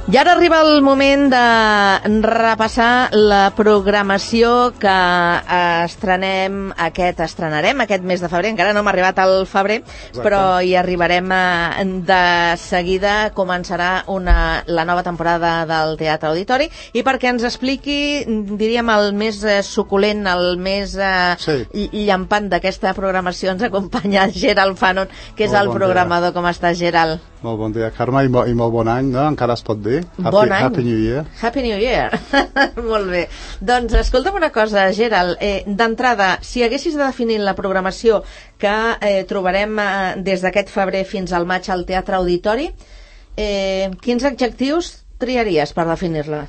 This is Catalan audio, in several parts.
I ara arriba el moment de repassar la programació que estrenarem aquest mes de febrer. Encara no hem arribat al febrer, però hi arribarem de seguida. Començarà la nova temporada del Teatre Auditori, i perquè ens expliqui, diríem, el més suculent, el més llampant d'aquesta programació, ens acompanya Gerald Fanon, que és el programador. Com estàs, Gerald? Molt bon dia, Carme, i molt bon any, no? Encara es pot dir? Bon any. Happy New Year. Happy New Year. Molt bé. Doncs escolta'm una cosa, Gerald. D'entrada, si haguessis de definir la programació que trobarem des d'aquest febrer fins al maig al Teatre Auditori, quins adjectius triaries per definir-la?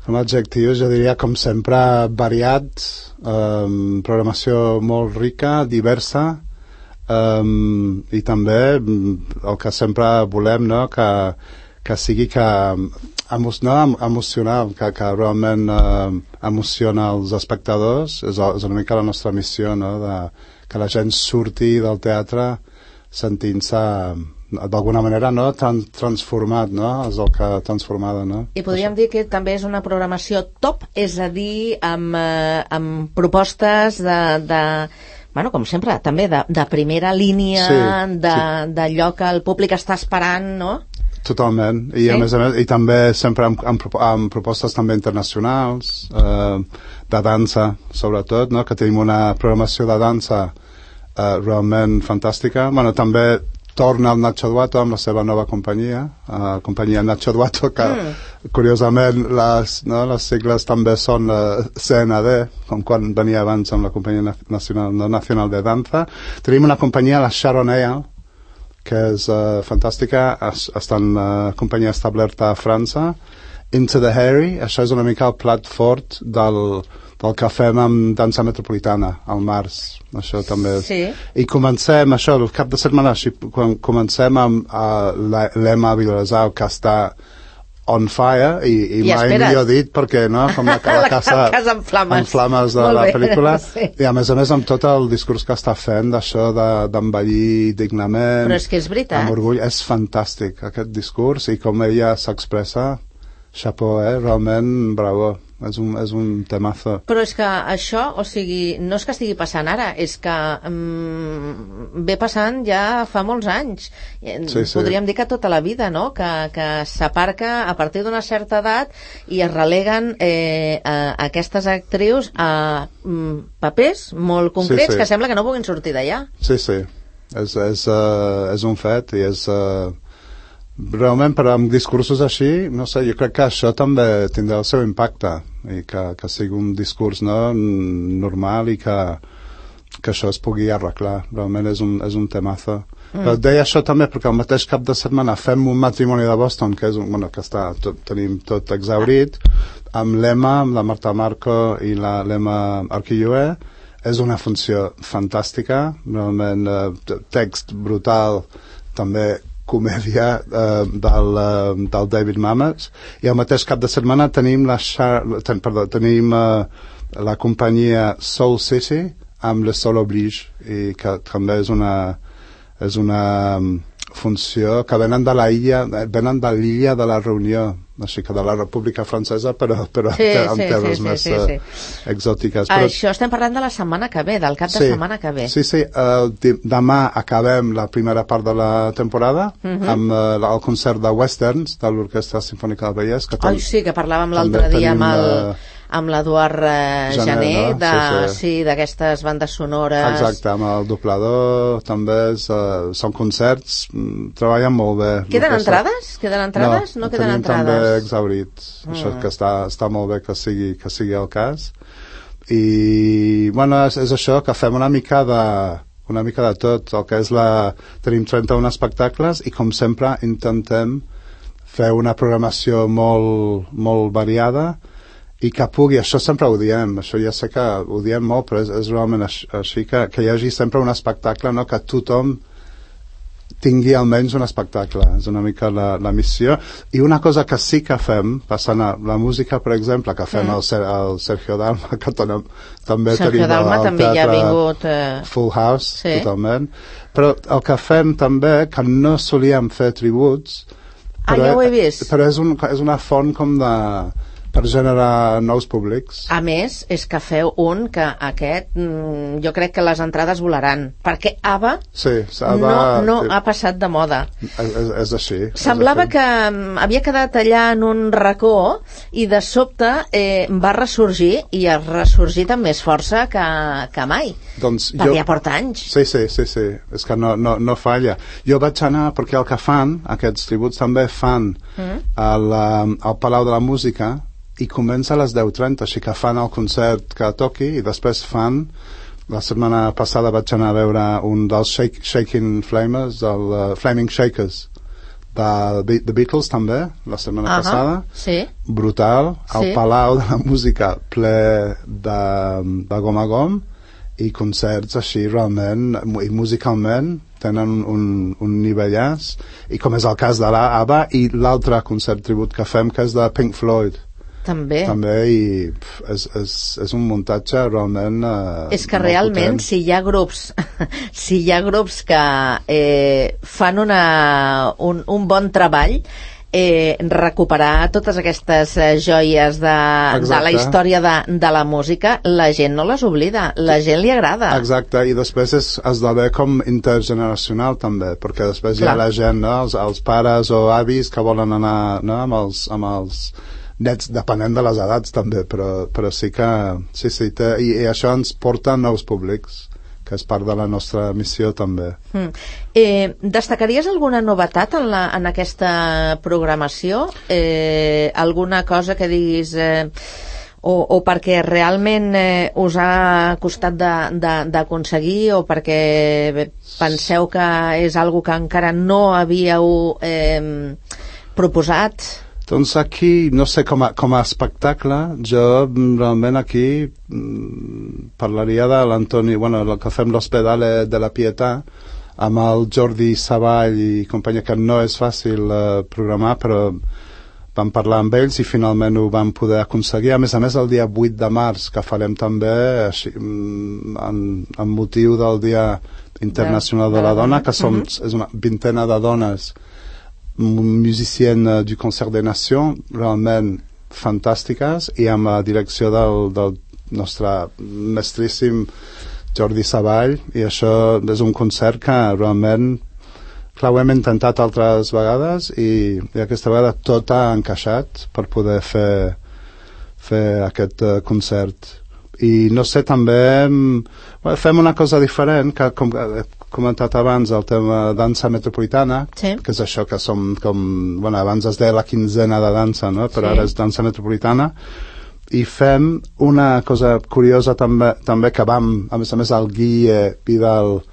Com a adjectius, jo diria, com sempre, variat, programació molt rica, diversa, i també el que sempre volem, no? Que sigui emocional, que realment emociona els espectadors. És una mica la nostra missió, no? Que la gent surti del teatre sentint-se d'alguna manera, no? Transformat, no? És el que transformada, no? I podríem dir que també és una programació top, és a dir, amb propostes bueno, com sempre, també de primera línia, d'allò que el públic està esperant, no? Totalment, i a més, i també sempre amb propostes també internacionals, de dansa, sobretot, no? Que tenim una programació de dansa realment fantàstica. Bueno, també torna el Nacho Duato amb la seva nova companyia, companyia Nacho Duato, que curiosament les sigles també són CND, com quan venia abans amb la companyia nacional de danza. Tenim una companyia, la Sharon Ale, que és fantàstica, està en companyia establerta a França. Into the Harry, això és una mica el plat fort del que fem amb dansa metropolitana al març, això també és. I comencem això, el cap de setmana, quan comencem amb l'Emma Vilassau, que està on fire, i mai millor dit, perquè no, com la casa en flames de la pel·lícula, i a més amb tot el discurs que està fent d'això d'envellir dignament. Però és que és veritat. Amb orgull, és fantàstic aquest discurs, i com ella s'expressa, chapeau, realment bravo. És un temazo. Però és que això, o sigui, no és que estigui passant ara, és que ve passant ja fa molts anys. Podríem dir que tota la vida, no? Que s'aparca a partir d'una certa edat i es releguen aquestes actrius a papers molt concrets que sembla que no puguin sortir d'allà. Sí. És un fet, i és... realment, però amb discursos així, no sé, jo crec que això també tindrà el seu impacte, i que sigui un discurs normal, i que això es pugui arreglar. Realment és un temazo. Però deia això també perquè el mateix cap de setmana fem un matrimoni de Boston, que és que tenim tot exhaurit, amb l'Emma, amb la Marta Marco i l'Emma Arquilloé. És una funció fantàstica, realment, text brutal, també comèdia del David Mamet, i al mateix cap de setmana tenim la companyia Soul City amb Le Sol Oblige, i que també és una funció que venen de l'illa de la Reunió, així que de la República Francesa, però en terres més exòtiques. Això estem parlant de la setmana que ve, del cap de setmana que ve. Sí, demà acabem la primera part de la temporada amb el concert de Westerns de l'Orquestra Simfònica del Vallès. Sí, que parlàvem l'altre dia amb l'Eduard Jané, d'aquestes bandes sonores. Exacte, amb el doblador també són concerts, treballen molt bé. Queden entrades? No queden entrades? També exhaurit, això que està molt bé que sigui el cas. I bueno, és això, que fem una mica de tot, el que és tenim 31 espectacles, i com sempre intentem fer una programació molt variada, i que pugui, això sempre ho diem, això ja sé que ho diem molt, però és realment així, que hi hagi sempre un espectacle, no? Que tothom tingui almenys un espectacle, és una mica la missió. I una cosa que sí que fem, passant a la música, per exemple, que fem el Sergio Dalma, que també tenim el teatre Full House, totalment, però el que fem també, que no solíem fer tributs, Ja ho he vist. Però és una font com per generar nous públics. A més, és que feu un que aquest, jo crec que les entrades volaran, perquè ABBA, no ha passat de moda. És així. Semblava que havia quedat allà en un racó i de sobte va ressorgir, i ha ressorgit amb més força que mai. Perquè ja porta anys. Sí, és que no falla. Jo vaig anar, perquè el que fan, aquests tributs també fan al Palau de la Música, i comença a les 10:30, així que fan el concert que toqui i després fan, la setmana passada vaig anar a veure un dels Shaking Flamers, el Flaming Shakers de The Beatles també, la setmana passada, brutal, al Palau de la Música ple de gom a gom, i concerts així realment, i musicalment tenen un nivellàs, i com és el cas de l'ABBA, i l'altre concert tribut que fem, que és de Pink Floyd. També, i és un muntatge realment és que realment si hi ha grups que fan un bon treball, recuperar totes aquestes joies de la història de la música, la gent no les oblida, la gent li agrada. Exacte, i després esdevé com intergeneracional també, perquè després hi ha la gent, els pares o avis que volen anar amb els nets, depenent de les edats també, però sí que i això ens porta a nous públics, que és part de la nostra missió també. Destacaries alguna novetat en aquesta programació? Alguna cosa que diguis o perquè realment us ha costat d'aconseguir, o perquè penseu que és algo que encara no havíeu proposat? Doncs aquí, no sé, com a espectacle, jo realment aquí parlaria de l'Antoni, el que fem l'Hospedale de la Pietà, amb el Jordi Savall i companyia, que no és fàcil programar, però vam parlar amb ells i finalment ho vam poder aconseguir. A més, el dia 8 de març, que farem també així, amb motiu del Dia Internacional de la Dona, que és una vintena de dones musiciennes du Concert des Nations, realment fantàstiques, i amb la direcció del nostre mestríssim Jordi Savall, i això és un concert que realment ho hem intentat altres vegades i aquesta vegada tot ha encaixat per poder fer aquest concert. I no sé, també fem una cosa diferent, que com he comentat abans, el tema dansa metropolitana, que és això que som abans es deia la quinzena de dansa, no? Però ara és dansa metropolitana, i fem una cosa curiosa també que vam, a més el Guille Vidal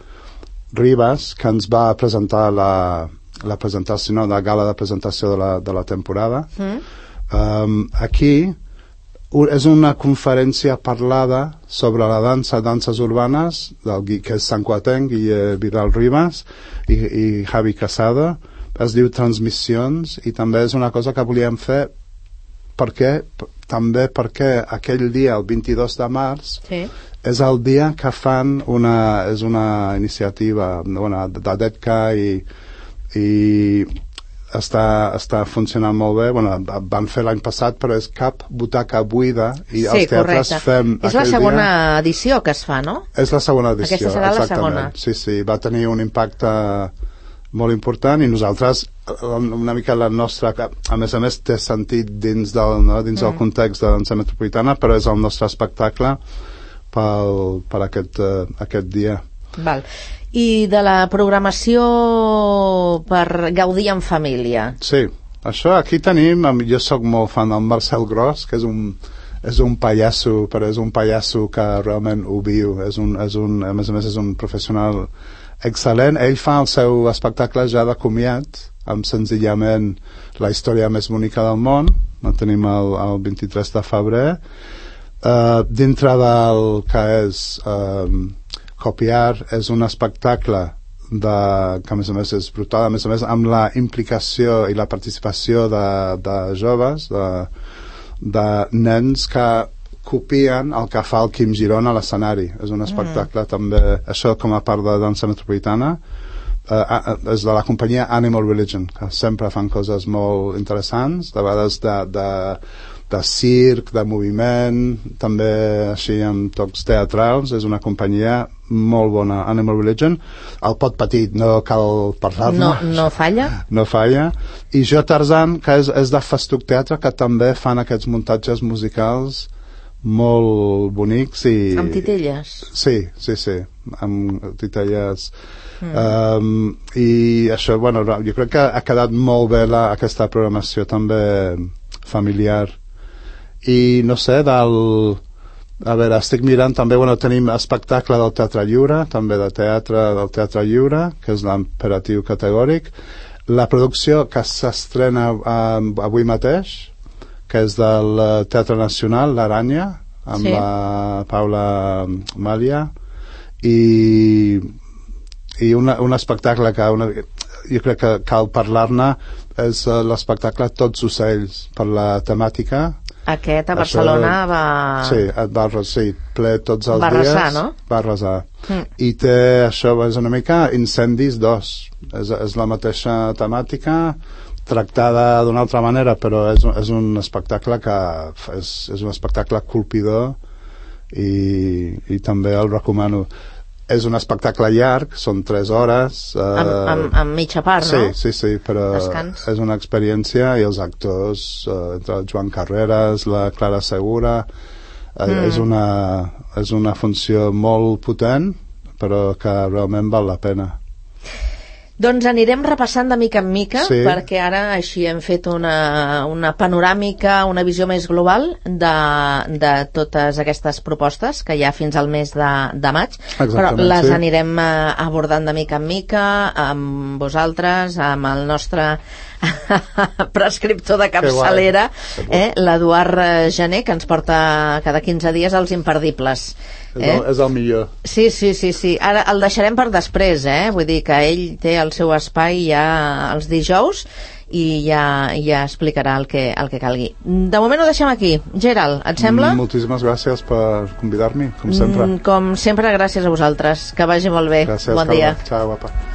Ribas, que ens va presentar la presentació, la gala de presentació de la temporada. Aquí és una conferència parlada sobre la danses urbanes, que és santcuatenc, Guille Vidal Ribas i Javi Casado. Es diu Transmissions, i també és una cosa que volíem fer perquè aquell dia, el 22 de març, és el dia que fan és una iniciativa de DEDCA i està funcionant molt bé. Van fer l'any passat, però és cap butaca buida, i els teatres fem és la segona edició que es fa, no? És la segona edició, aquesta serà la segona. Sí, va tenir un impacte molt important, i nosaltres una mica la nostra, a més té sentit dins del context de dansa metropolitana, però és el nostre espectacle per aquest dia. Val. I de la programació per gaudir en família? Sí, això aquí tenim, jo sóc molt fan del Marcel Gros, que és un pallasso, però és un pallasso que realment ho viu, a més és un professional excel·lent. Ell fa el seu espectacle ja de comiat, amb senzillament la història més bonica del món. El tenim el 23 de febrer. Dintre del que és Copiar, és un espectacle que a més és brutal, a més amb la implicació i la participació de joves, de nens que copien el que fa el Quim Girona a l'escenari. És un espectacle també, això com a part de dansa metropolitana, és de la companyia Animal Religion, que sempre fan coses molt interessants, de vegades de circ, de moviment, també així amb tocs teatrals. És una companyia molt bona, Animal Religion. El pot petit, no cal parlar-ne. No falla. No falla. I Jo Tarzan, que és de Festuc Teatre, que també fan aquests muntatges musicals molt bonics i... Amb titelles. Sí, amb titelles. I això, bueno, jo crec que ha quedat molt bé aquesta programació també familiar. I no sé, a veure, estic mirant també, bueno, tenim espectacle del Teatre Lliure, també del Teatre Lliure, que és l'imperatiu categòric. La producció que s'estrena avui mateix, que és del Teatre Nacional, l'Aranya, amb la Paula Malia, i un espectacle que jo crec que cal parlar-ne, és l'espectacle Tots ocells, per la temàtica. Aquest a Barcelona Sí, ple tots els dies. Va arrasar, no? Va arrasar. I té, això és una mica Incendis 2. És la mateixa temàtica, tractada d'una altra manera, però és un espectacle que és un espectacle colpidor i també el recomano. És un espectacle llarg, són 3 hores. Amb mitja part, no? Sí, però Descans. És una experiència, i els actors, entre el Joan Carreras, la Clara Segura, és una funció molt potent, però que realment val la pena. Doncs anirem repassant de mica en mica, perquè ara així hem fet una panoràmica, una visió més global de totes aquestes propostes que hi ha fins al mes de maig. Però les anirem abordant de mica en mica amb vosaltres, amb el nostre prescriptor de capçalera, l'Eduard Gené, que ens porta cada 15 dies els imperdibles. És el millor. Sí. Ara el deixarem per després, vull dir que ell té el seu espai ja els dijous i ja explicarà el que calgui. De moment ho deixem aquí. Gerald, et sembla? Moltíssimes gràcies per convidar-me, com sempre. Com sempre, gràcies a vosaltres. Que vagi molt bé. Gràcies, bon dia. Ciao, guapa.